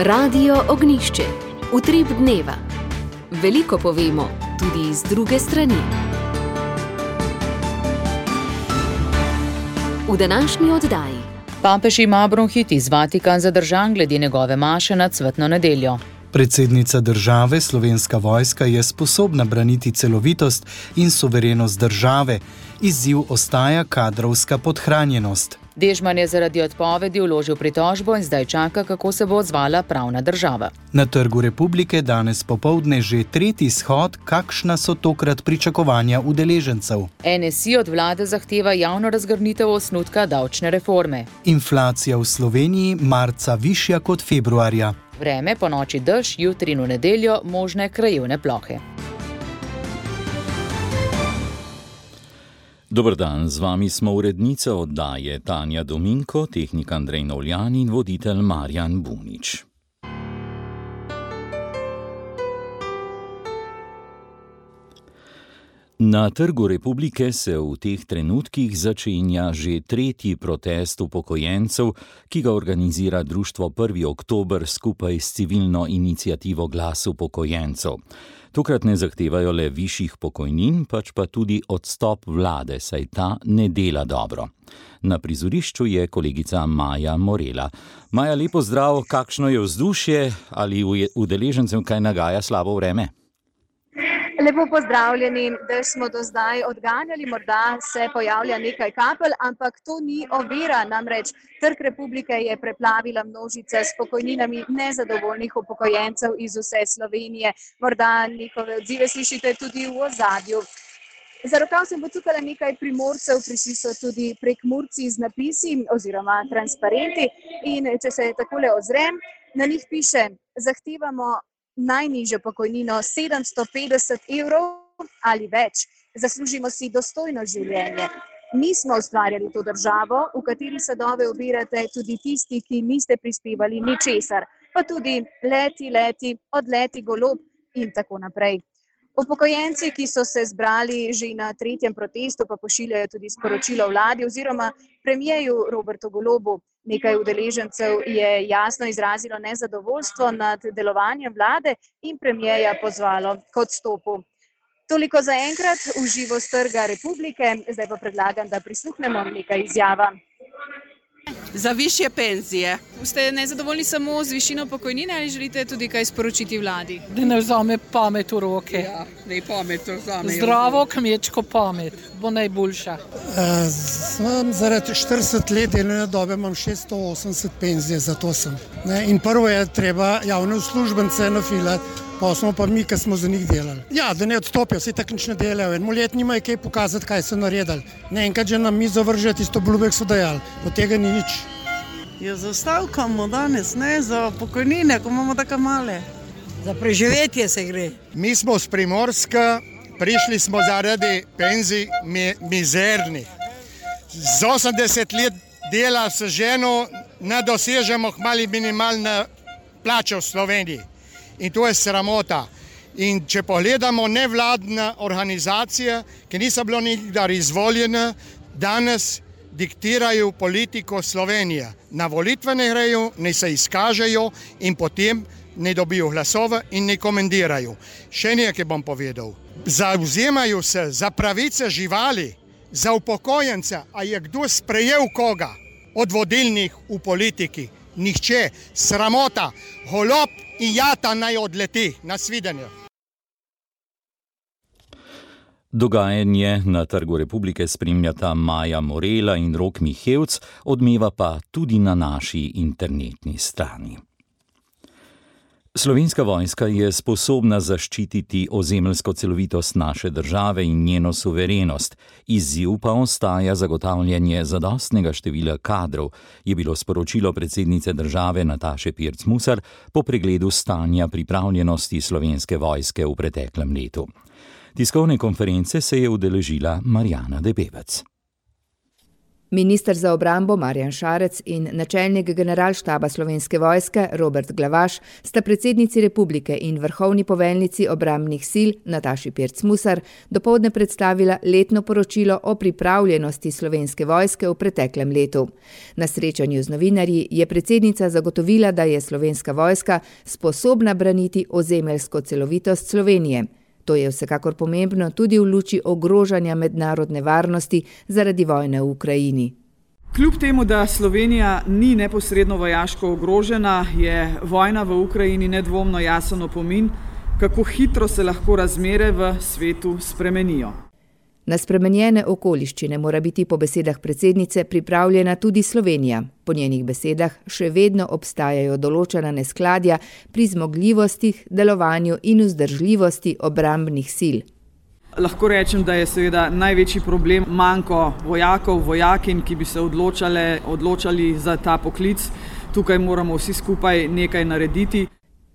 Radio Ognjišče. Utrip dneva. Veliko povemo, tudi iz druge strani. V današnji oddaji. Papež ima bronhitis, Vatikan zadržan glede njegove maše na cvetno nedeljo. Predsednica države, Slovenska vojska, je sposobna braniti celovitost in suverenost države. Izziv ostaja kadrovska podhranjenost. Dežman je zaradi odpovedi vložil pritožbo in zdaj čaka, kako se bo odzvala pravna država. Na Trgu Republike danes popoldne že tretji shod, kakšna so tokrat pričakovanja udeležencev. NSI od vlade zahteva javno razgrnitev osnutka davčne reforme. Inflacija v Sloveniji marca višja kot februarja. Vreme, ponoči dež, jutri in v nedeljo možne krajevne plohe. Dober dan, z vami smo urednica oddaje Tanja Dominko, tehnik Andrej Novljan in voditelj Marjan Bunič. Na Trgu Republike se v teh trenutkih začenja že tretji protest upokojencev, ki ga organizira društvo 1. oktober skupaj s civilno iniciativo Glas upokojencev. Tokrat ne zahtevajo le višjih pokojnin, pač pa tudi odstop vlade, saj ta ne dela dobro. Na prizorišču je kolegica Maja Morela. Maja, lepo zdrav, kakšno je vzdušje, ali udeležencem kaj nagaja slabo vreme? Lepo pozdravljeni, da smo do zdaj odganjali, morda se pojavlja nekaj kapelj, ampak to ni ovira, namreč Trg Republike je preplavila množica s pokojninami nezadovoljnih upokojencev iz vse Slovenije. Morda njihove odzive slišite tudi v ozadju. Za rokav sem potukala nekaj Primorcev, prišli so tudi Prekmurci z napisi oziroma transparenti in če se takole ozrem, na njih piše: zahtevamo najnižjo pokojnino 750 evrov ali več. Zaslužimo si dostojno življenje. Mi smo ustvarjali to državo, v kateri sadove obirate tudi tisti, ki niste prispevali ničesar, pa tudi leti, odleti golob in tako naprej. Upokojenci, ki so se zbrali že na tretjem protestu, pa pošiljajo tudi sporočilo vladi oziroma premierju Robertu Golobu. Nekaj udeležencev je jasno izrazilo nezadovoljstvo nad delovanjem vlade in premierja pozvalo k odstopu. Toliko za enkrat v živo s Trga Republike, zdaj pa predlagam, da prisluhnemo nekaj izjava. Za višje penzije. Ste nezadovoljni samo z višino pokojnine ali želite tudi kaj sporočiti vladi? Da ne vzame pamet v roke. Ja, ne pamet vzame. Zdravo kmečko pamet bo najboljša. Zaradi 40 let delovne dobe imam 680 penzije, zato sem. In prvo je treba javne uslužbence nafilati, pa smo pa mi, ki smo za njih delali. Ja, da ne odstopijo, vsi tako nič ne delajo. En let nimajo kaj pokazati, kaj so naredili. Ne enkrat že na mizo vrže tisto obljube, so dajali. Od tega ni nič. Ja, zastavkamo danes, ne, za pokojnine, ko imamo tako male. Za preživetje se gre. Mi smo z Primorska, prišli smo zaradi penzij mizernih. Z 80 let dela s ženo ne dosežemo hmali minimalne plače v Sloveniji. In to je sramota. In če pogledamo nevladne organizacije, ki niso bile nikdar izvoljene, danes diktirajo politiko Slovenije. Na volitve ne grejo, ne se izkažejo in potem ne dobijo glasove in ne komentirajo. Še nekaj bom povedal. Zavzemajo se za pravice živali, za upokojence. A je kdo sprejel koga od vodilnih v politiki? Nihče. Sramota. Golob in jata naj odleti. Nasvidenje. Dogajanje na Trgu Republike spremljata Maja Morela in Rok Mihevc, odmeva pa tudi na naši internetni strani. Slovenska vojska je sposobna zaščititi ozemeljsko celovitost naše države in njeno suverenost. Izziv pa ostaja zagotavljanje zadostnega števila kadrov, je bilo sporočilo predsednice države Nataše Pirc Musar po pregledu stanja pripravljenosti Slovenske vojske v preteklem letu. Tiskovne konference se je udeležila Marjana Debevec. Minister za obrambo Marjan Šarec in načelnik generalštaba Slovenske vojske Robert Glavaš sta predsednici republike in vrhovni poveljnici obrambnih sil Nataši Pirc Musar dopoldne predstavila letno poročilo o pripravljenosti Slovenske vojske v preteklem letu. Na srečanju z novinarji je predsednica zagotovila, da je Slovenska vojska sposobna braniti ozemeljsko celovitost Slovenije. To je vsekakor pomembno tudi v luči ogrožanja mednarodne varnosti zaradi vojne v Ukrajini. Kljub temu, da Slovenija ni neposredno vojaško ogrožena, je vojna v Ukrajini nedvomno jasen opomin, kako hitro se lahko razmere v svetu spremenijo. Na spremenjene okoliščine mora biti po besedah predsednice pripravljena tudi Slovenija. Po njenih besedah še vedno obstajajo določena neskladja pri zmogljivostih, delovanju in vzdržljivosti obrambnih sil. Lahko rečem, da je seveda največji problem manko vojakov, vojakinj, ki bi se odločali za ta poklic. Tukaj moramo vsi skupaj nekaj narediti.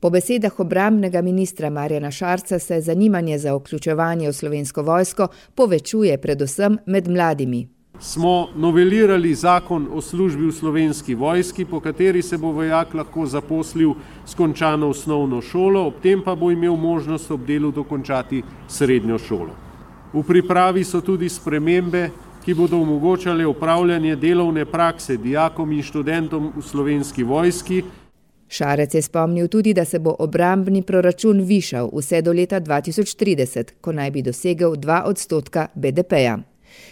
Po besedah obrambnega ministra Marjana Šarca se zanimanje za vključevanje v Slovensko vojsko povečuje predvsem med mladimi. Smo novelirali zakon o službi v Slovenski vojski, po kateri se bo vojak lahko zaposlil s končano osnovno šolo, ob tem pa bo imel možnost ob delu dokončati srednjo šolo. V pripravi so tudi spremembe, ki bodo omogočale opravljanje delovne prakse dijakom in študentom v Slovenski vojski. Šarec je spomnil tudi, da se bo obrambni proračun višal vse do leta 2030, ko naj bi dosegel 2% BDP-ja.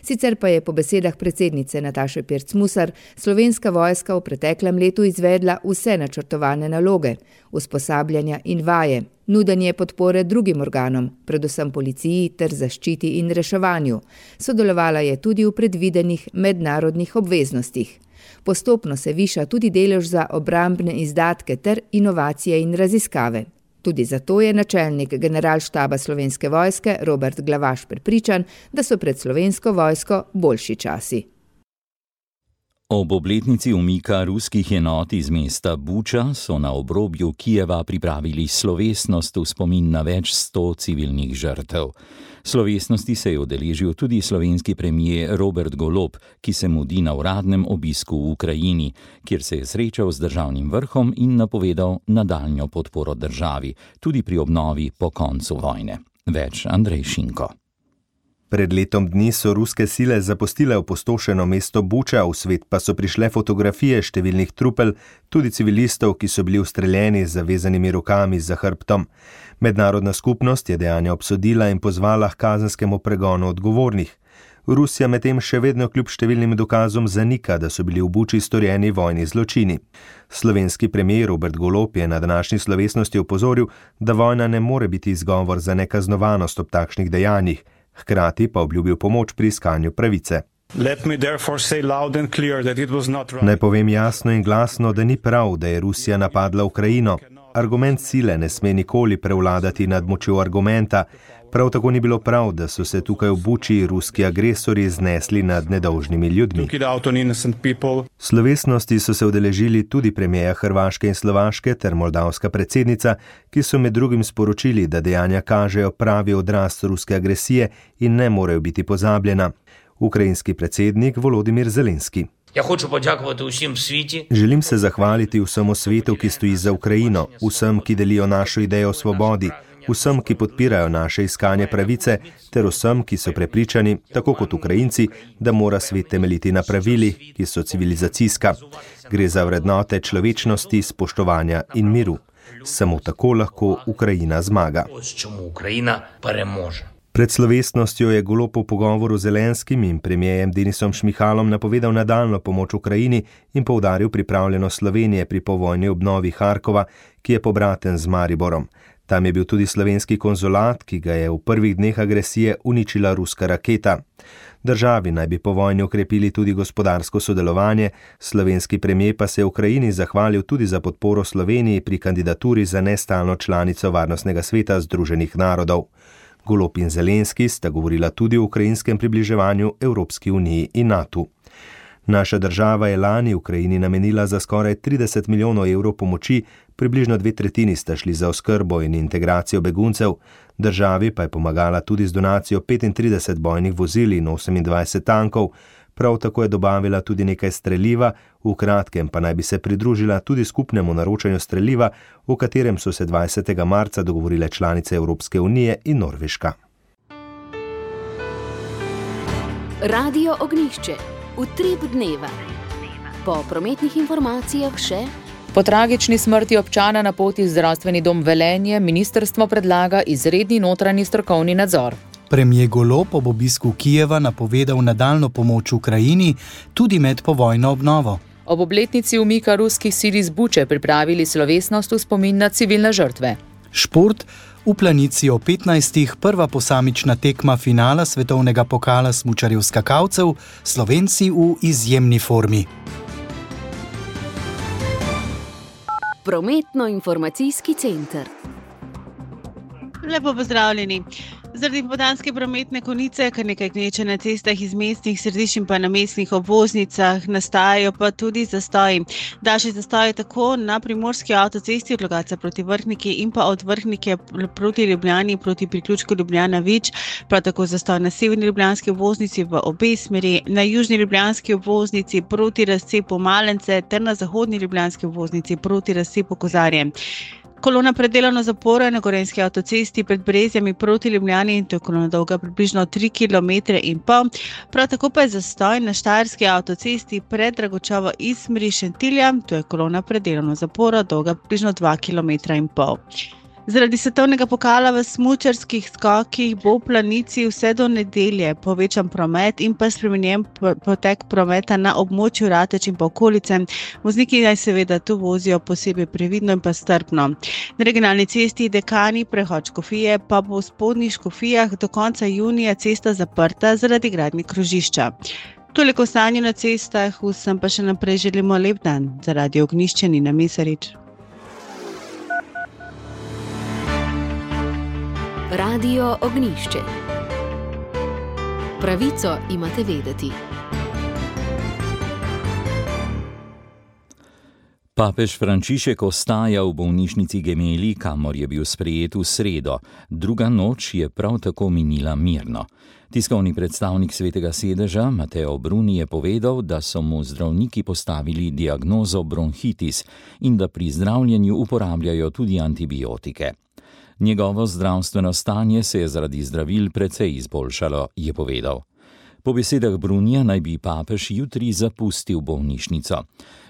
Sicer pa je po besedah predsednice Nataše Pirc Musar Slovenska vojska v preteklem letu izvedla vse načrtovane naloge, usposabljanja in vaje, nudenje podpore drugim organom, predvsem policiji ter zaščiti in reševanju. Sodelovala je tudi v predvidenih mednarodnih obveznostih. Postopno se viša tudi delež za obrambne izdatke ter inovacije in raziskave. Tudi zato je načelnik generalštaba Slovenske vojske Robert Glavaš prepričan, da so pred Slovensko vojsko boljši časi. Ob obletnici umika ruskih enot iz mesta Buča so na obrobju Kijeva pripravili slovesnost v spomin na več 100 civilnih žrtev. Slovesnosti se je udeležil tudi slovenski premier Robert Golob, ki se mudi na uradnem obisku v Ukrajini, kjer se je srečal z državnim vrhom in napovedal nadaljnjo podporo državi, tudi pri obnovi po koncu vojne. Več Andrej Šinko. Pred letom dni so ruske sile zapustile opustošeno mesto Buča, v svet pa so prišle fotografije številnih trupel, tudi civilistov, ki so bili ustreljeni z zavezanimi rokami za hrbtom. Mednarodna skupnost je dejanja obsodila in pozvala k kazenskemu pregonu odgovornih. Rusija medtem še vedno kljub številnim dokazom zanika, da so bili v Buči storjeni vojni zločini. Slovenski premier Robert Golob je na današnji slovesnosti opozoril, da vojna ne more biti izgovor za nekaznovanost ob takšnih dejanjih. Hkrati pa obljubil pomoč pri iskanju pravice. Naj povem jasno in glasno, da ni prav, da je Rusija napadla Ukrajino. Argument sile ne sme nikoli prevladati nad močjo argumenta. Prav tako ni bilo prav, da so se tukaj v Buči ruski agresorji znesli nad nedolžnimi ljudmi. Slovesnosti so se udeležili tudi premierja Hrvaške in Slovaške ter moldavska predsednica, ki so med drugim sporočili, da dejanja kažejo pravi odraz ruske agresije in ne morejo biti pozabljena. Ukrajinski predsednik Volodimir Zelenski. Želim se zahvaliti vsemu svetu, ki stoji za Ukrajino, vsem, ki delijo našo idejo o svobodi, vsem, ki podpirajo naše iskanje pravice, ter vsem, ki so prepričani, tako kot Ukrajinci, da mora svet temeljiti na pravilih, ki so civilizacijska. Gre za vrednote človečnosti, spoštovanja in miru. Samo tako lahko Ukrajina zmaga. Pred slovesnostjo je Golob v pogovoru z Zelenskim in premierjem Denisom Šmihalom napovedal nadaljnjo pomoč Ukrajini in poudaril pripravljenost Slovenije pri povojni obnovi Harkova, ki je pobraten z Mariborom. Tam je bil tudi slovenski konzulat, ki ga je v prvih dneh agresije uničila ruska raketa. Državi naj bi po vojni okrepili tudi gospodarsko sodelovanje, slovenski premier pa se je Ukrajini zahvalil tudi za podporo Sloveniji pri kandidaturi za nestalno članico Varnostnega sveta Združenih narodov. Golob in Zelenski sta govorila tudi o ukrajinskem približevanju Evropski uniji in NATO. Naša država je lani Ukrajini namenila za skoraj 30 milijonov evrov pomoči, približno 2/3 sta šli za oskrbo in integracijo beguncev, državi pa je pomagala tudi z donacijo 35 bojnih vozil in 28 tankov, Prav tako je dobavila tudi nekaj streliva, v kratkem pa naj bi se pridružila tudi skupnemu naročanju streliva, o katerem so se 20. marca dogovorile članice Evropske unije in Norveška. Radio Ognjišče. Utrip dneva. Po prometnih informacijah še. Po tragični smrti občana na poti v zdravstveni dom Velenje ministrstvo predlaga izredni notranji strokovni nadzor. Premier Golob ob obisku Kijeva napovedal nadaljnjo pomoč Ukrajini tudi med povojno obnovo. Ob obletnici umika ruskih sil iz Buče pripravili slovesnost v spomin na civilne žrtve. Šport. V Planici o 15. prva posamična tekma finala svetovnega pokala smučarjev skakalcev, Slovenci v izjemni formi. Prometno-informacijski center. Lepo pozdravljeni. Zaradi popoldanske prometne konice, kar nekaj gneče na cestah iz mestnih središč in pa na mestnih obvoznicah, nastajajo pa tudi zastoji. Daljši zastoji tako na primorski avtocesti od Logatca proti Vrhniki in pa od Vrhnike proti Ljubljani proti priključku Ljubljana-Vič, prav tako zastoj na severni ljubljanski obvoznici v obe smeri, na južni ljubljanski obvoznici proti razcepu Malence ter na zahodni ljubljanski obvoznici proti razcepu Kozarje. Kolona predelano zapora na Gorenjski avtocesti pred Brezjami proti Ljubljani in to je kolona dolga približno 3,5 km. Prav tako pa je zastoj na Štajerski avtocesti pred Dragočevo iz smeri Šentilja, to je kolona predelano zapora dolga približno 2,5 km. Zaradi svetovnega pokala v smučarskih skokih bo v Planici vse do nedelje povečan promet in pa spremenjen potek prometa na območju Rateč in pa okolice. Vozniki naj seveda tu vozijo posebej previdno in pa strpno. Na regionalni cesti Dekani prehod Škofije pa bo v Spodnjih Škofijah do konca junija cesta zaprta zaradi gradnje krožišča. Toliko o stanju na cestah, vsem pa še naprej želimo lep dan. Za Radio Ognjišče Nina Mesarič. Radio Ognjišče. Pravico imate vedeti. Papež Frančišek ostaja v bolnišnici Gemelli, kamor je bil sprejet v sredo. Druga noč je prav tako minila mirno. Tiskovni predstavnik Svetega sedeža Mateo Bruni je povedal, da so mu zdravniki postavili diagnozo bronhitis in da pri zdravljenju uporabljajo tudi antibiotike. Njegovo zdravstveno stanje se je zaradi zdravil precej izboljšalo, je povedal. Po besedah Brunija naj bi papež jutri zapustil bolnišnico.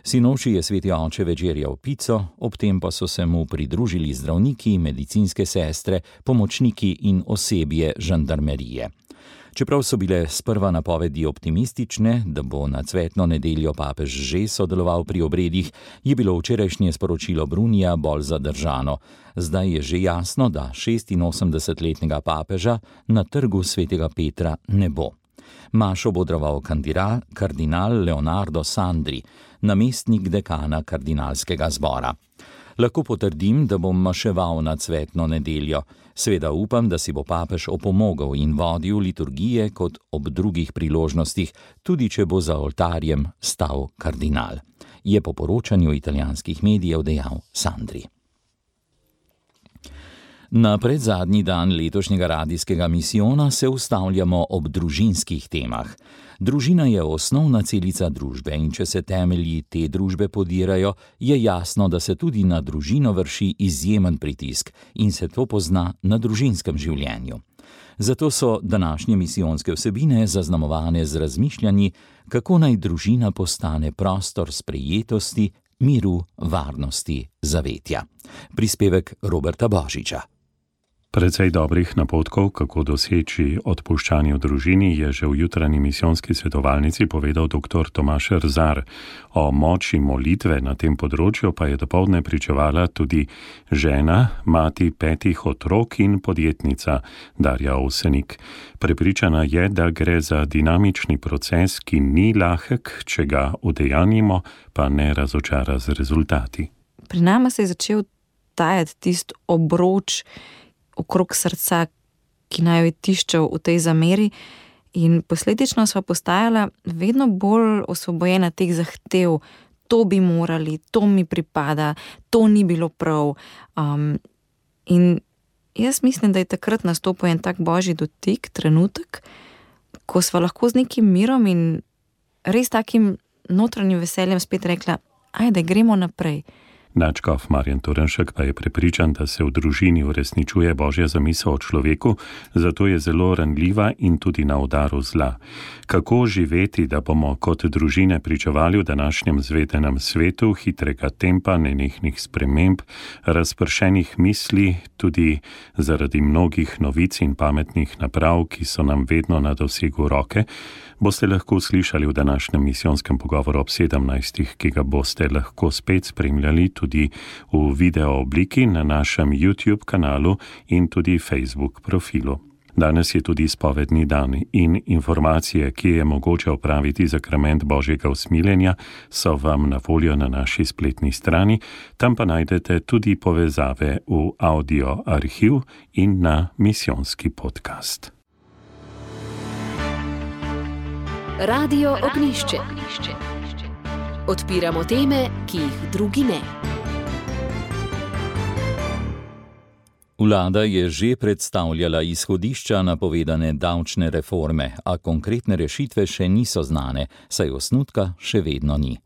Sinoči je sveti oče večerjal pico, ob tem pa so se mu pridružili zdravniki, medicinske sestre, pomočniki in osebje žandarmerije. Čeprav so bile sprva napovedi optimistične, da bo na cvetno nedeljo papež že sodeloval pri obredih, je bilo včerajšnje sporočilo Brunija bolj zadržano. Zdaj je že jasno, da 86-letnega papeža na trgu svetega Petra ne bo. Mašo bo odraval kardinal Leonardo Sandri, namestnik dekana kardinalskega zbora. Lahko potrdim, da bom maševal na cvetno nedeljo. Seveda upam, da si bo papež opomogel in vodil liturgije kot ob drugih priložnostih, tudi če bo za oltarjem stal kardinal, je po poročanju italijanskih medijev dejal Sandri. Na predzadnji dan letošnjega radijskega misijona se ustavljamo ob družinskih temah. Družina je osnovna celica družbe in če se temelji te družbe podirajo, je jasno, da se tudi na družino vrši izjemen pritisk in se to pozna na družinskem življenju. Zato so današnje misijonske vsebine zaznamovane z razmišljanji, kako naj družina postane prostor sprejetosti, miru, varnosti, zavetja. Prispevek Roberta Božiča. Precej dobrih napotkov, kako doseči odpuščanje v družini, je že v jutranji misijonski svetovalnici povedal dr. Tomaž Rzar. O moči molitve na tem področju pa je dopoldne pričevala tudi žena, mati 5 otrok in podjetnica Darja Ovsenik. Prepričana je, da gre za dinamični proces, ki ni lahek, če ga udejanjimo, pa ne razočara z rezultati. Pri nama se je začel tajati tisti obroč okrog srca, ki naj jo je tiščal v tej zameri, in posledično sva postajala vedno bolj osvobojena teh zahtev. To bi morali, to mi pripada, to ni bilo prav. In jaz mislim, da je takrat nastopil en tak božji dotik, trenutek, ko sva lahko z nekim mirom in res takim notranjim veseljem spet rekla, ajde, gremo naprej. Nadškof Marjan Turnšek pa je prepričan, da se v družini uresničuje Božja zamisel o človeku, zato je zelo ranljiva in tudi na udaru zla. Kako živeti, da bomo kot družine pričevali v današnjem zvedenem svetu hitrega tempa, nenehnih sprememb, razpršenih misli, tudi zaradi mnogih novic in pametnih naprav, ki so nam vedno na dosegu roke, boste lahko slišali v današnjem misijonskem pogovoru ob 17, ki ga boste lahko spet spremljali tudi v video obliki na našem YouTube kanalu in tudi Facebook profilu. Danes je tudi spovedni dan in informacije, ki je mogoče opraviti zakrament Božjega usmiljenja, so vam na voljo na naši spletni strani, tam pa najdete tudi povezave v audio arhiv in na misijonski podcast. Radio Ognjišče. Odpiramo teme, ki jih drugi ne. Vlada je že predstavljala izhodišča napovedane davčne reforme, a konkretne rešitve še niso znane, saj osnutka še vedno ni.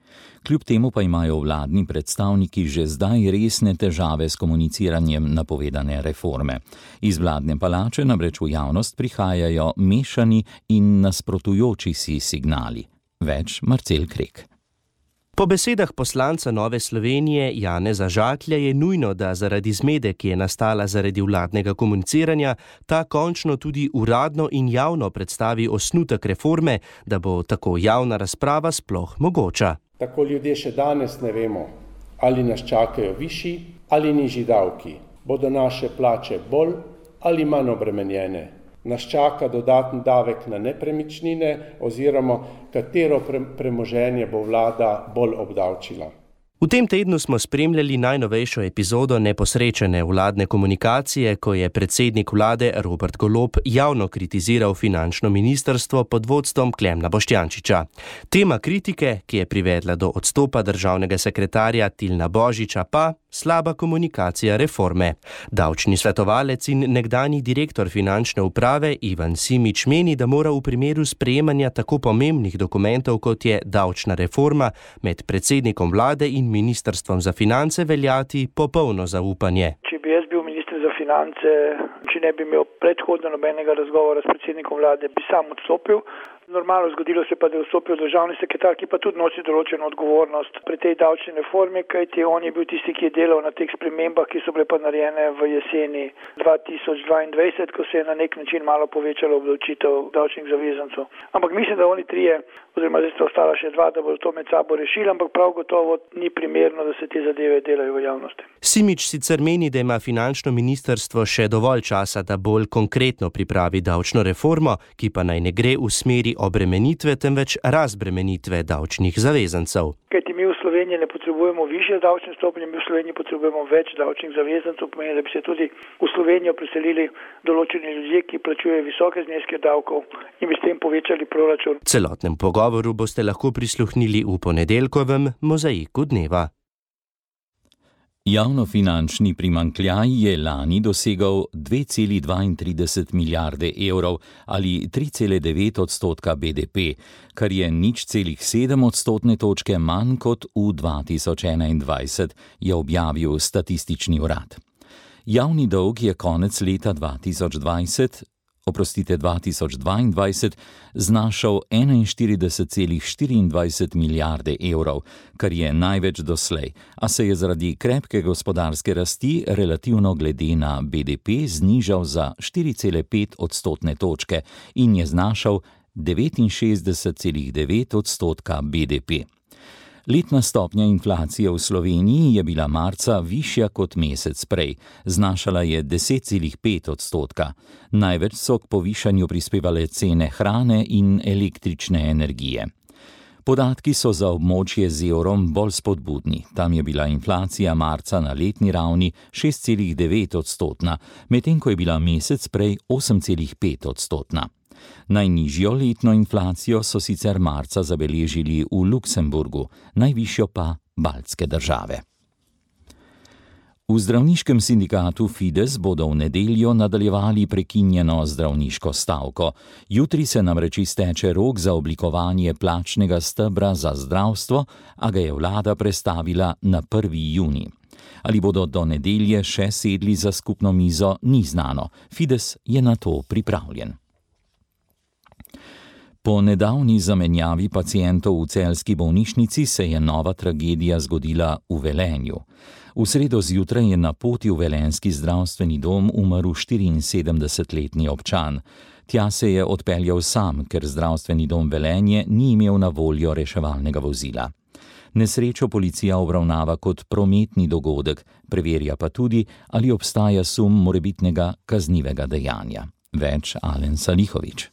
Kljub temu pa imajo vladni predstavniki že zdaj resne težave s komuniciranjem napovedane reforme. Iz vladne palače namreč v javnost prihajajo mešani in nasprotujoči si signali. Več Marcel Krek. Po besedah poslanca Nove Slovenije Janeza Žaklja je nujno, da zaradi zmede, ki je nastala zaradi vladnega komuniciranja, ta končno tudi uradno in javno predstavi osnutek reforme, da bo tako javna razprava sploh mogoča. Tako ljudje še danes ne vemo, ali nas čakajo višji ali nižji davki. Bodo naše plače bolj ali manj obremenjene. Nas čaka dodaten davek na nepremičnine oziroma katero premoženje bo vlada bolj obdavčila. V tem tednu smo spremljali najnovejšo epizodo neposrečene vladne komunikacije, ko je predsednik vlade Robert Golob javno kritiziral finančno ministrstvo pod vodstvom Klemna Boštjančiča. Tema kritike, ki je privedla do odstopa državnega sekretarja Tilna Božiča, pa slaba komunikacija reforme. Davčni svetovalec in nekdanji direktor finančne uprave Ivan Simič meni, da mora v primeru sprejemanja tako pomembnih dokumentov, kot je davčna reforma, med predsednikom vlade in ministrstvom za finance veljati popolno zaupanje. Če bi jaz bil minister za finance, če ne bi imel predhodno nobenega razgovora s predsednikom vlade, bi sam odstopil. Normalno zgodilo se pa, da je vstopil državni sekretar, ki pa tudi nosi določeno odgovornost pri tej davčni reformi, kajti on je bil tisti, ki je delal na teh spremembah, ki so bile pa narejene v jeseni 2022, ko se je na nek način malo povečalo obdavčitev davčnih zavezancev. Ampak mislim, da oni trije, oziroma zdaj sta ostala še dva, da bodo to med sabo rešili, ampak prav gotovo ni primerno, da se te zadeve delajo v javnosti. Simič sicer meni, da ima finančno ministrstvo še dovolj časa, da bolj konkretno pripravi davčno reformo, ki pa naj ne gre v smeri obremenitve, temveč razbremenitve davčnih zavezancev. Kajti mi v Sloveniji ne potrebujemo višje davčne stopnje, mi v Sloveniji potrebujemo več davčnih zavezancev, pomeni, da bi se tudi v Slovenijo preselili določeni ljudje, ki plačujejo visoke zneske davkov in bi s tem povečali proračun. Celotnem pogovoru boste lahko prisluhnili v ponedeljkovem Mozaiku dneva. Javnofinančni primanjkljaj je lani dosegal 2,32 milijarde evrov ali 3,9% BDP, kar je 0,7 odstotne točke manj kot v 2021, je objavil Statistični urad. Javni dolg je konec leta 2022 znašal 41,24 milijarde evrov, kar je največ doslej, a se je zaradi krepke gospodarske rasti relativno glede na BDP znižal za 4,5 odstotne točke in je znašal 69,9% BDP. Letna stopnja inflacije v Sloveniji je bila marca višja kot mesec prej, znašala je 10,5%. Največ so k povišanju prispevale cene hrane in električne energije. Podatki so za območje z evrom bolj spodbudni. Tam je bila inflacija marca na letni ravni 6,9%, medtem ko je bila mesec prej 8,5%. Najnižjo letno inflacijo so sicer marca zabeležili v Luksemburgu, najvišjo pa baltske države. V zdravniškem sindikatu Fides bodo v nedeljo nadaljevali prekinjeno zdravniško stavko. Jutri se namreč izteče rok za oblikovanje plačnega stebra za zdravstvo, a ga je vlada prestavila na 1. junij. Ali bodo do nedelje še sedli za skupno mizo, ni znano. Fides je na to pripravljen. Po nedavni zamenjavi pacientov v celjski bolnišnici se je nova tragedija zgodila v Velenju. V sredo zjutraj je na poti v velenjski zdravstveni dom umrl 74-letni občan. Tja se je odpeljal sam, ker zdravstveni dom Velenje ni imel na voljo reševalnega vozila. Nesrečo policija obravnava kot prometni dogodek, preverja pa tudi, ali obstaja sum morebitnega kaznivega dejanja. Več Alen Salihović.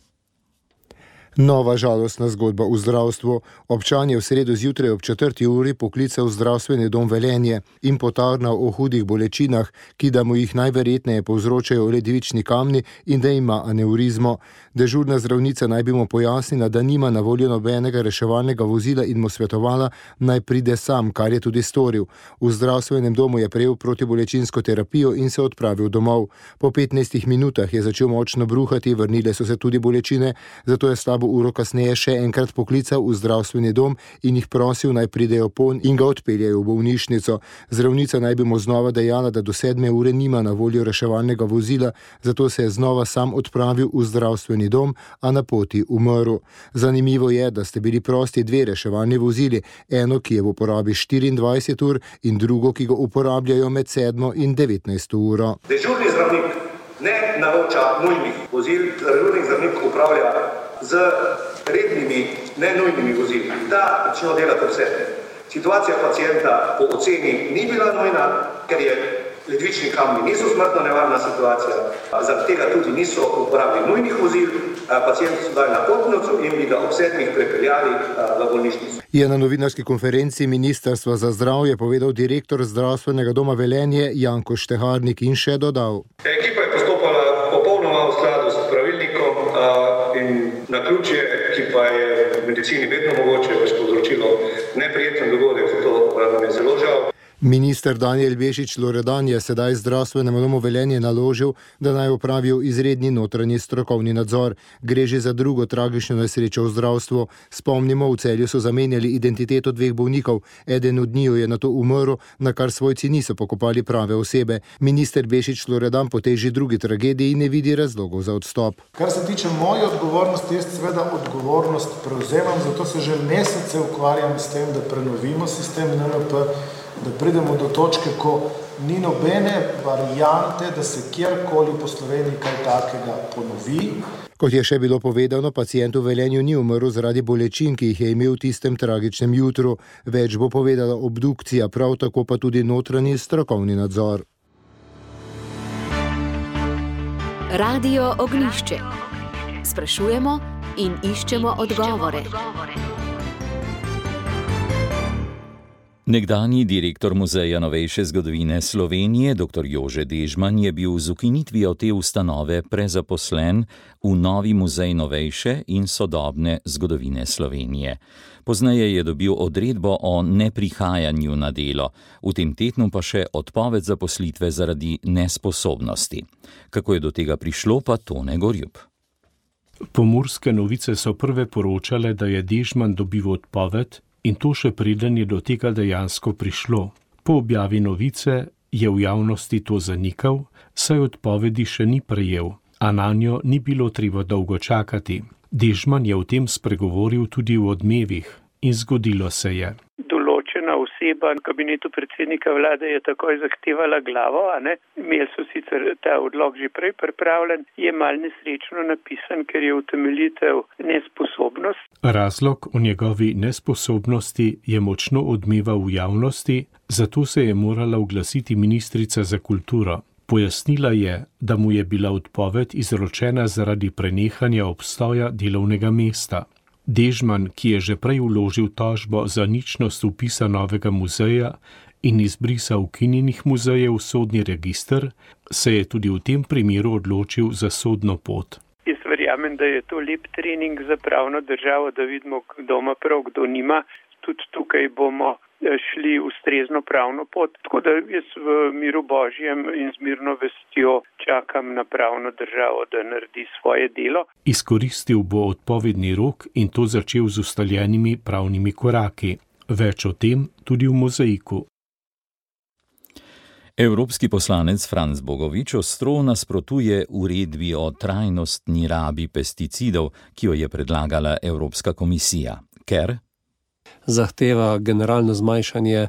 Nova žalostna zgodba v zdravstvu. Občan je v sredo zjutraj ob 4. uri poklical zdravstveni dom Velenje in potarnal o hudih bolečinah, ki da mu jih najverjetneje povzročajo ledvični kamni in da ima aneurizmo. Dežurna zdravnica naj bi mu pojasnila, da nima na voljo nobenega reševalnega vozila in mu svetovala, naj pride sam, kar je tudi storil. V zdravstvenem domu je prejel protibolečinsko terapijo in se odpravil domov. Po 15 minutah je začel močno bruhati, vrnile so se tudi bolečine, zato je slabo uro kasneje še enkrat poklical v zdravstveni dom in jih prosil, naj pridejo ponj in ga odpeljajo v bolnišnico. Zdravnica naj bi mu znova dejala, da do 7. ure nima na voljo reševalnega vozila, zato se je znova sam odpravil v zdravstveni dom, a na poti umrl. Zanimivo je, da ste bili prosti 2 reševalni vozili, eno, ki je v uporabi 24 ur in drugo, ki ga uporabljajo med 7. in 19. uro. Dežurni zdravnik ne naroča nujnih vozil, dežurni zdravnik upravlja z rednimi, nenujnimi vozili. Ta začne delati vse. Situacija pacienta po oceni ni bila nujna, ker je ledvični kamni niso smrtno nevarna situacija, zaradi tega tudi niso uporabili nujnih vozil, pacienti so dali na potnico in bi ga ob 7. prepeljali v bolnišnico. Je na novinarski konferenci Ministrstva za zdravje povedal direktor zdravstvenega doma Velenje Janko Šteharnik in še dodal. Ekipa je postopala popolnoma v skladu s pravilnikom in naključje, ki pa je v medicini vedno mogoče, pač povzročilo neprijeten dogodek, zato nam je zelo žal. Minister Danijel Bešič Loredan je sedaj zdravstvenemu domu Velenje naložil, da naj opravijo izredni notranji strokovni nadzor. Gre že za drugo tragično nesrečo v zdravstvu. Spomnimo, v Celju so zamenjali identiteto 2 bolnikov. Eden od njiju je nato umrl, na kar svojci niso pokopali prave osebe. Minister Bešič Loredan po tej že drugi tragediji ne vidi razlogov za odstop. Kar se tiče moje odgovornosti, jaz seveda odgovornost prevzemam, zato se že mesece ukvarjam s tem, da prenovimo sistem NMP, da pridemo do točke, ko ni nobene variante, da se kjerkoli po Sloveniji kaj takega ponovi. Kot je še bilo povedano, pacient v Velenju ni umrl zaradi bolečin, ki jih je imel v tistem tragičnem jutru. Več bo povedala obdukcija, prav tako pa tudi notranji strokovni nadzor. Radio Ognjišče. Sprašujemo in iščemo odgovore. Nekdanji direktor Muzeja novejše zgodovine Slovenije, dr. Jože Dežman, je bil z ukinitvijo te ustanove prezaposlen v novi Muzej novejše in sodobne zgodovine Slovenije. Pozneje je dobil odredbo o neprihajanju na delo, v tem tednu pa še odpoved zaposlitve zaradi nesposobnosti. Kako je do tega prišlo, pa Tone Gorjup. Pomurske novice so prve poročale, da je Dežman dobil odpoved, in to še preden je do tega dejansko prišlo. Po objavi novice je v javnosti to zanikal, saj odpovedi še ni prejel, a nanjo ni bilo treba dolgo čakati. Dežman je o tem spregovoril tudi v Odmevih in zgodilo se je. Določena oseba v kabinetu predsednika vlade je takoj zahtevala glavo, a ne? Imeli so sicer ta odlok že prej pripravljen, je mal nesrečno napisan, ker je utemeljitev nesposobnost. Razlog o njegovi nesposobnosti je močno odmeval v javnosti, zato se je morala oglasiti ministrica za kulturo. Pojasnila je, da mu je bila odpoved izročena zaradi prenehanja obstoja delovnega mesta. Dežman, ki je že prej vložil tožbo za ničnost vpisa novega muzeja in izbrisa ukinjenih muzejev v sodni register, se je tudi v tem primeru odločil za sodno pot. Jaz verjamem, da je to lep trening za pravno državo, da vidimo, kdo ima prav, kdo nima. Tudi tukaj bomo šli ustrezno pravno pot. Tako da jaz v miru Božjem in z mirno vestjo čakam na pravno državo, da naredi svoje delo. Izkoristil bo odpovedni rok in to začel z ustaljenimi pravnimi koraki. Več o tem tudi v Mozaiku. Evropski poslanec Franc Bogovič ostro nasprotuje uredbi o trajnostni rabi pesticidov, ki jo je predlagala Evropska komisija, ker zahteva generalno zmanjšanje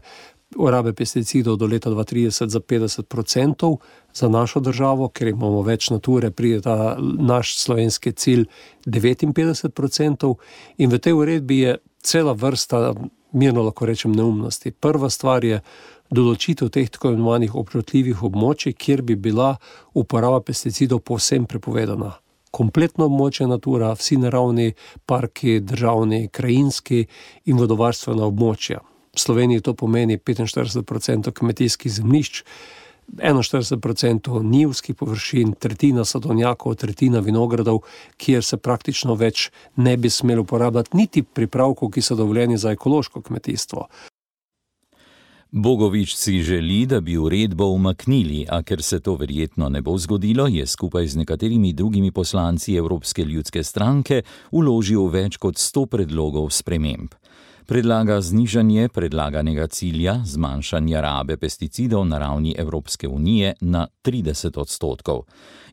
uporabe pesticidov do leta 2030 za 50% za našo državo, ker imamo več nature, pride ta naš slovenski cilj 59%, in v tej uredbi je cela vrsta, mirno lahko rečem, neumnosti. Prva stvar je določitev teh tako imenovanih občutljivih območij, kjer bi bila uporaba pesticidov povsem prepovedana. Kompletno območje natura, vsi naravni parki, državni, krajinski in vodovarstvena območja. V Sloveniji to pomeni 45% kmetijskih zemljišč, 41% njivskih površin, tretjina sadovnjakov, tretjina vinogradov, kjer se praktično več ne bi smelo uporabljati niti pripravkov, ki so dovoljeni za ekološko kmetijstvo. Bogovič si želi, da bi uredbo umaknili, a ker se to verjetno ne bo zgodilo, je skupaj z nekaterimi drugimi poslanci Evropske ljudske stranke vložil več kot 100 predlogov sprememb. Predlaga znižanje predlaganega cilja zmanjšanja rabe pesticidov na ravni Evropske unije na 30%.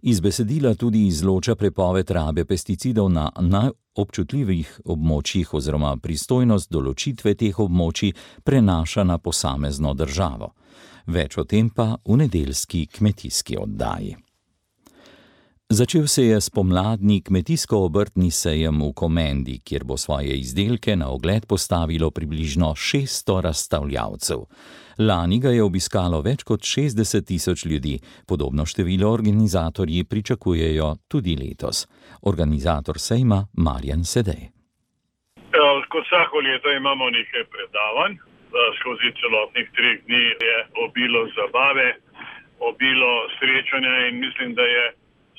Iz besedila tudi izloča prepoved rabe pesticidov na najobčutljivih območjih oziroma pristojnost določitve teh območij prenaša na posamezno državo. Več o tem pa v nedeljski kmetijski oddaji. Začel se je spomladni kmetijsko-obrtni sejem v Komendi, kjer bo svoje izdelke na ogled postavilo približno 600 razstavljavcev. Lani ga je obiskalo več kot 60.000 ljudi, podobno število organizatorji pričakujejo tudi letos. Organizator sejma Marjan Sedej. Kot vsako leto imamo nekaj predavanj, skozi celotnih 3 dni je obilo zabave, obilo srečanja in mislim, da je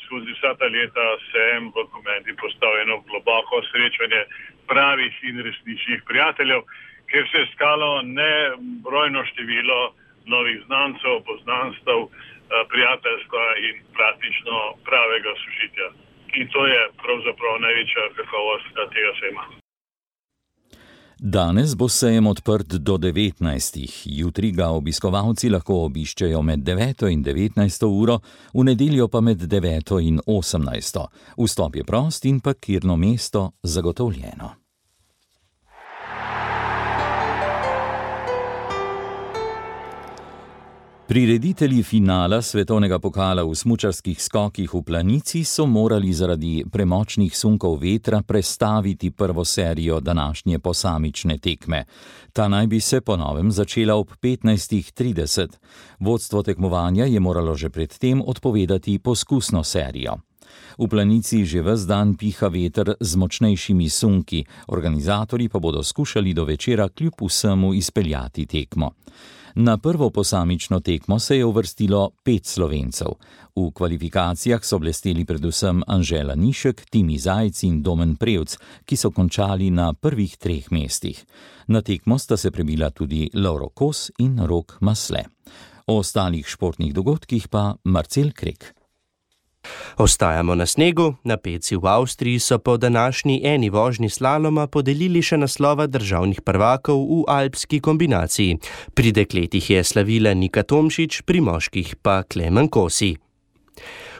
skozi vsa ta leta sejem v Komendi postavljeno globoko srečanje pravih in resničnih prijateljev, kjer se je iskalo nebrojno število novih znancev, poznanstev, prijateljstva in praktično pravega sožitja. In to je pravzaprav največja kakovost tega sejma. Danes bo sejem odprt do 19. Jutri ga obiskovalci lahko obiščejo med 9. in 19. uro, v nedeljo pa med 9. in 18. Vstop je prost in parkirno mesto zagotovljeno. Prireditelji finala svetovnega pokala v smučarskih skokih v Planici so morali zaradi premočnih sunkov vetra prestaviti prvo serijo današnje posamične tekme. Ta naj bi se po novem začela ob 15:30. Vodstvo tekmovanja je moralo že predtem odpovedati poskusno serijo. V Planici že ves dan piha veter z močnejšimi sunki, organizatorji pa bodo skušali do večera kljub vsemu izpeljati tekmo. Na prvo posamično tekmo se je uvrstilo 5 Slovencev. V kvalifikacijah so blesteli predvsem Anžela Nišek, Timi Zajc in Domen Prevc, ki so končali na prvih 3 mestih. Na tekmo sta se prebila tudi Lovro Kos in Rok Masle. O ostalih športnih dogodkih pa Marcel Krek. Ostajamo na snegu. Na Peci v Avstriji so po današnji eni vožnji slaloma podelili še naslova državnih prvakov v alpski kombinaciji. Pri dekletih je slavila Nika Tomšič, pri moških pa Klemen Kosi.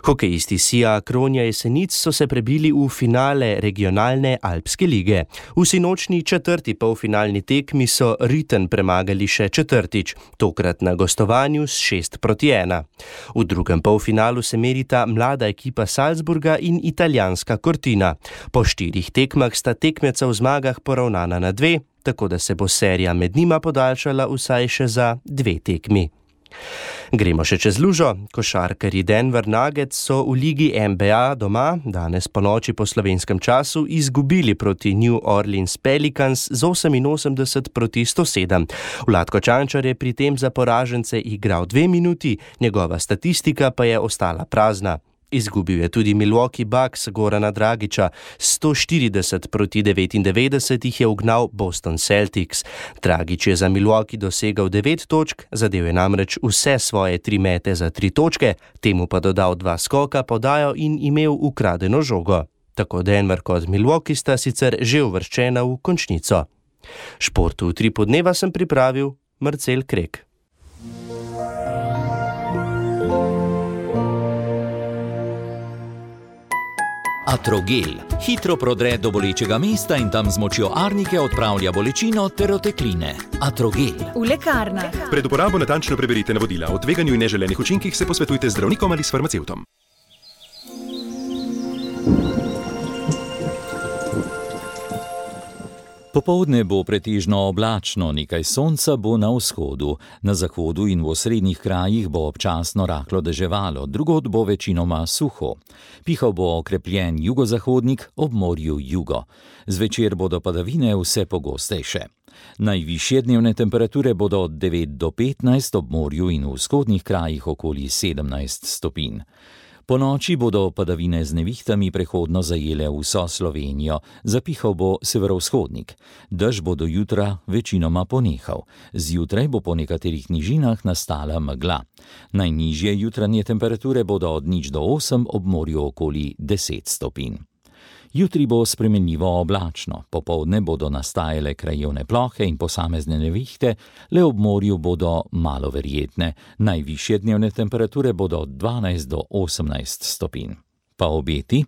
Hokejisti SIA Kronja Jesenic so se prebili v finale regionalne alpske lige. V sinočni 4. polfinalni tekmi so Riten premagali še 4., tokrat na gostovanju s 6:1. V drugem polfinalu se merita mlada ekipa Salzburga in italijanska Cortina. Po 4 tekmah sta tekmeca v zmagah poravnana na 2, tako da se bo serija med njima podaljšala vsaj še za 2 tekmi. Gremo še čez lužo. Košarkarji Denver Nuggets so v ligi NBA doma danes po noči po slovenskem času izgubili proti New Orleans Pelicans z 88-107. Vlatko Čančar je pri tem za poražence igral 2 minuti, njegova statistika pa je ostala prazna. Izgubil je tudi Milwaukee Bucks Gorana Dragića. 140-99 jih je ugnal Boston Celtics. Dragić je za Milwaukee dosegal 9 točk, zadel je namreč vse svoje 3 mete za 3 točke, temu pa dodal 2 skoka, podajo in imel ukradeno žogo. Tako Denver kot Milwaukee sta sicer že uvrščena v končnico. Športu v 3 podneva sem pripravil Marcel Krek. Atrogel hitro prodre do bolečega mesta in tam z močjo arnike odpravlja bolečino ter otekline. Atrogel. V lekarnah. Pred uporabo natančno preberite navodila. O tveganju in neželenih učinkih se posvetujte z zdravnikom ali s farmacevtom. Popoldne bo pretežno oblačno, nekaj sonca bo na vzhodu. Na zahodu in v osrednjih krajih bo občasno rahlo deževalo, drugod bo večinoma suho. Pihal bo okrepljen jugozahodnik, ob morju jugo. Zvečer bodo padavine vse pogostejše. Najvišje dnevne temperature bodo od 9 do 15, ob morju in v vzhodnih krajih okoli 17 stopinj. Po noči bodo padavine z nevihtami prehodno zajele vso Slovenijo, zapihal bo severovzhodnik. Dež bo do jutra večinoma ponehal. Zjutraj bo po nekaterih nižinah nastala megla. Najnižje jutranje temperature bodo od 0 do 8, ob morju okoli 10 stopinj. Jutri bo spremenljivo oblačno, popoldne bodo nastajale krajevne plohe in posamezne nevihte, le ob morju bodo malo verjetne. Najvišje dnevne temperature bodo od 12 do 18 stopinj. Pa obeti?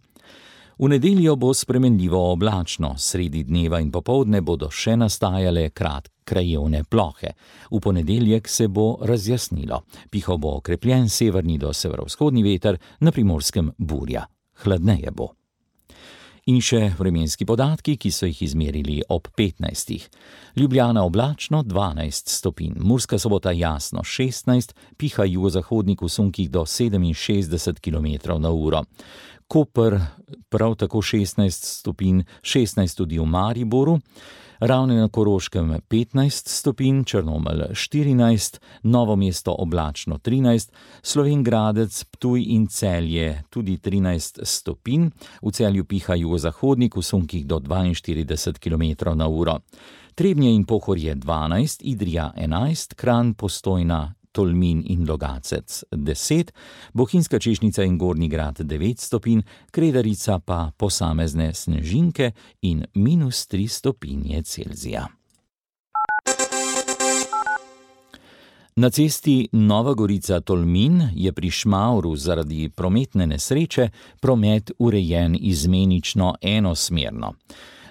V nedeljo bo spremenljivo oblačno, sredi dneva in popoldne bodo še nastajale krajevne plohe. V ponedeljek se bo razjasnilo. Pihal bo okrepljen severni do severovzhodni veter, na Primorskem burja. Hladneje bo. In še vremenski podatki, ki so jih izmerili ob 15. Ljubljana oblačno 12 stopinj, Murska Sobota jasno 16, piha jugozahodnik v sunkih do 67 km/h. Koper prav tako 16 stopinj, 16 tudi v Mariboru, Ravne na Koroškem 15 stopinj, Črnomelj 14, Novo mesto oblačno 13, Slovenj Gradec, Ptuj in Celje tudi 13 stopinj, v Celju piha jugozahodnik v sunkih do 42 km/h. Trebnje in Pohorje 12, Idrija 11, Kranj, Postojna, Tolmin in Logacec 10, Bohinjska Češnica in Gornji Grad 9 stopinj, Kredarica pa posamezne snežinke in -3 stopinje Celzija. Na cesti Nova Gorica-Tolmin je pri Šmavru zaradi prometne nesreče promet urejen izmenično enosmerno.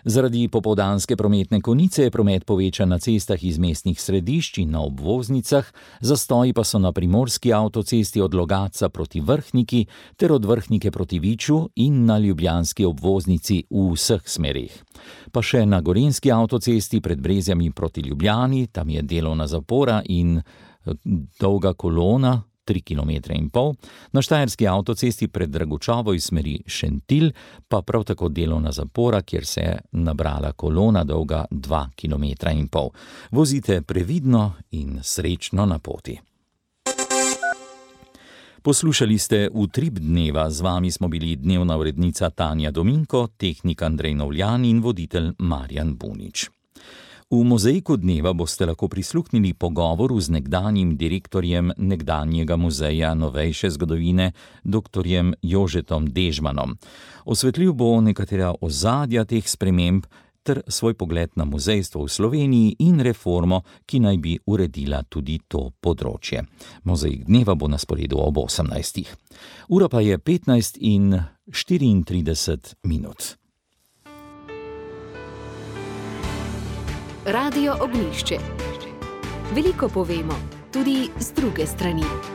Zaradi popoldanske prometne konice je promet povečan na cestah iz mestnih središč in na obvoznicah, zastoji pa so na primorski avtocesti od Logatca proti Vrhniki ter od Vrhnike proti Viču in na ljubljanski obvoznici v vseh smerih. Pa še na gorenjski avtocesti pred Brezjami proti Ljubljani, tam je delovna zapora in dolga kolona, 3,5 km, na štajerski avtocesti pred Dragučovo iz smeri Šentilj pa prav tako delovna zapora, kjer se je nabrala kolona dolga 2,5 km. Vozite previdno in srečno na poti. Poslušali ste Utrip dneva, z vami smo bili dnevna urednica Tanja Dominko, tehnik Andrej Novljan in voditelj Marjan Bunič. V mozaiku dneva boste lahko prisluhnili pogovoru z nekdanjim direktorjem nekdanjega muzeja novejše zgodovine, dr. Jožetom Dežmanom. Osvetlil bo nekatera ozadja teh sprememb ter svoj pogled na muzejstvo v Sloveniji in reformo, ki naj bi uredila tudi to področje. Mozaik dneva bo na sporedu ob 18. Ura pa je 15:34. Radio Ognjišče. Veliko povemo, tudi z druge strani.